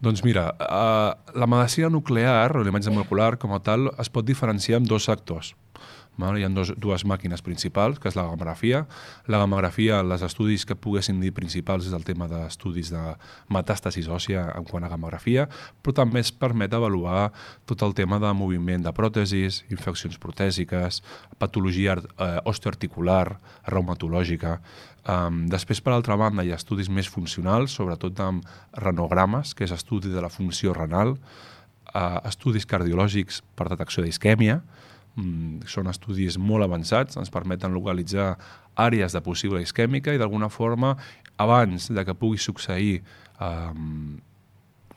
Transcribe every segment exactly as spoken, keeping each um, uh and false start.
Doncs mira, eh, la medicina nuclear, o la imatge molecular com a tal, es pot diferenciar en dos sectors. Val? Hi ha dos, dues màquines principals, que és la gamografia. La gamografia, els estudis que poguessin dir principals és el tema d'estudis de metàstasis òssia en quant a gamografia, però també es permet avaluar tot el tema de moviment de pròtesis, infeccions protèsiques, patologia eh, osteoarticular, reumatològica. Um, després, per altra banda, hi ha estudis més funcionals, sobretot amb renogrames, que és estudi de la funció renal, uh, estudis cardiològics per detecció d'isquèmia. Mm, són estudis molt avançats, ens permeten localitzar àrees de possible isquèmica i d'alguna forma, abans de que pugui succeir um,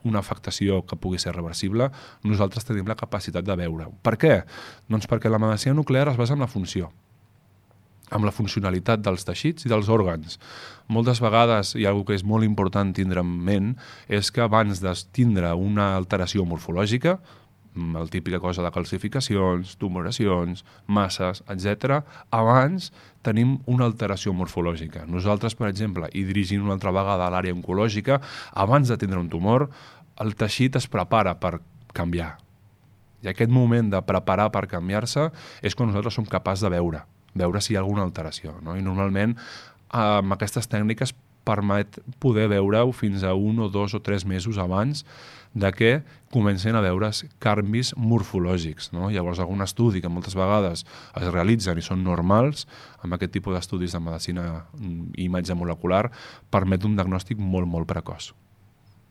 una afectació que pugui ser reversible, nosaltres tenim la capacitat de veure-ho. Per què? Doncs perquè la medicina nuclear es basa en la funció, amb la funcionalitat dels teixits i dels òrgans. Moltes vegades hi ha una cosa que és molt important tindre en ment, és que abans de tindre una alteració morfològica, la típica cosa de calcificacions, tumoracions, masses, etcètera, abans tenim una alteració morfològica. Nosaltres, per exemple, i dirigint una altra vegada a l'àrea oncològica, abans de tindre un tumor, el teixit es prepara per canviar. I aquest moment de preparar per canviar-se és quan nosaltres som capaços de veure, veure si hi ha alguna alteració. No? I normalment, amb aquestes tècniques, permet poder veure-ho fins a un o dos o tres mesos abans de que comencen a veure's canvis morfològics. No? Llavors, algun estudi que moltes vegades es realitzen i són normals, amb aquest tipus d'estudis de medicina i imatge molecular, permet un diagnòstic molt, molt precoç.